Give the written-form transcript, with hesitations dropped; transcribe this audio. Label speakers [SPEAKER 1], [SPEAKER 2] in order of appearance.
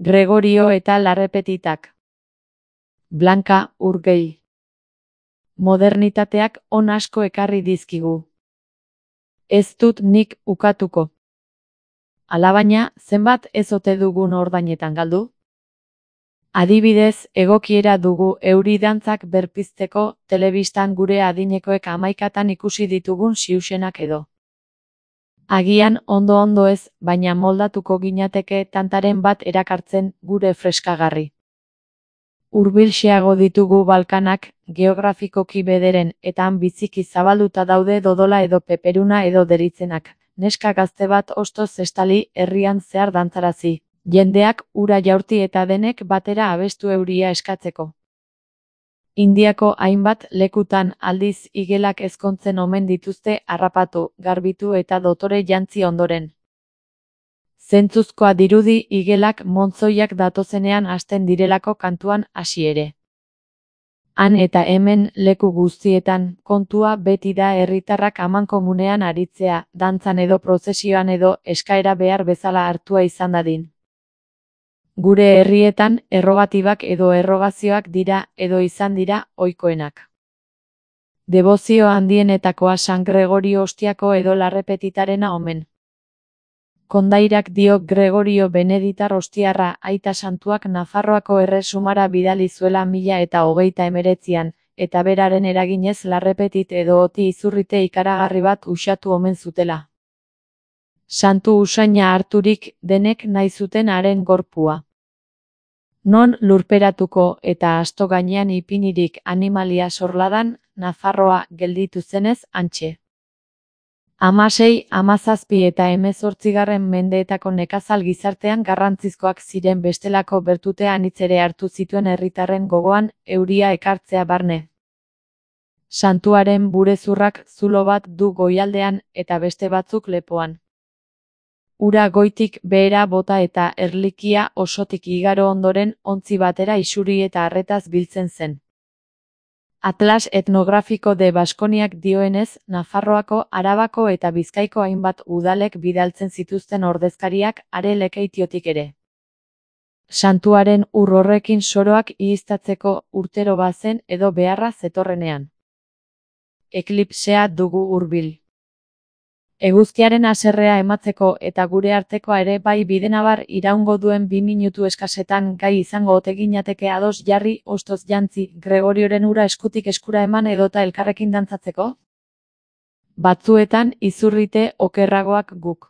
[SPEAKER 1] Gregorio eta Larrepetitak. Blanka Urgell. Modernitateak on asko ekarri dizkigu. Ez dut nik ukatuko. Alabaina, zenbat ez ote dugun ordainetan galdu? Adibidez, egokiera dugu euri dantzak berpizteko telebistan gure adinekoek 11 ikusi ditugun xiuxenak edo. Agian ondo ez, baina moldatuko ginateke tantaren bat erakartzen gure freskagarri. Hurbilxeago ditugu Balkanak, geografikoki bederen eta han biziki zabalduta daude dodola edo peperuna edo deritzenak. Neska gazte bat ostoz estali herrian zehar dantzarazi. Jendeak ura jaurti eta denek batera abestu euria eskatzeko. Indiako hainbat lekutan aldiz igelak ezkontzen omen dituzte harrapatu, garbitu eta dotore jantzi ondoren. Zentzuzkoa dirudi igelak montzoiak datozenean hasten direlako kantuan hasi ere. Han eta hemen leku guztietan kontua beti da herritarrak amankomunean aritzea, dantzan edo prozesioan edo eskaera behar bezala hartua izan dadin. Gure herrietan errogatibak edo errogazioak dira edo izan dira ohikoenak. Debozio handienetakoa San Gregorio Ostiako edo Larrepetitarena omen. Kondairak dio Gregorio Beneditar Ostiarra aita santuak Nafarroako erresumara bidali zuela 1029an, eta beraren eraginez Larrepetit edo Oti izurrite ikaragarri bat uxatu omen zutela. Santu usaina harturik denek nahi zuten haren gorpua. Non lurperatuko eta asto gainean ipinirik animalia sorladan, Nafarroa gelditu zenez hantxe. 16, 17 eta 18 mendeetako nekazal gizartean garrantzizkoak ziren bestelako bertute anitz ere hartu zituen herritarren gogoan euria ekartzea barne. Santuaren burezurrak zulo bat du goialdean eta beste batzuk lepoan. Ura goitik behera bota eta erlikia osotik igaro ondoren ontzi batera isuri eta arretaz biltzen zen. Atlas etnografiko de Baskoniak dioenez, Nafarroako, Arabako eta Bizkaiko hainbat udalek bidaltzen zituzten ordezkariak are Lekeitiotik ere. Santuaren ur horrekin soroak ihiztatzeko urtero bazen edo beharra zetorrenean. Eklipsea dugu hurbil. Eguzkiaren haserrea ematzeko eta gure artekoa ere bai bidenabar iraungo duen 2 minutu eskasetan gai izango ote ginateke ados jarri ostoz jantzi Gregorioren ura eskutik eskura eman edota elkarrekin dantzatzeko? Batzuetan izurrite okerragoak guk.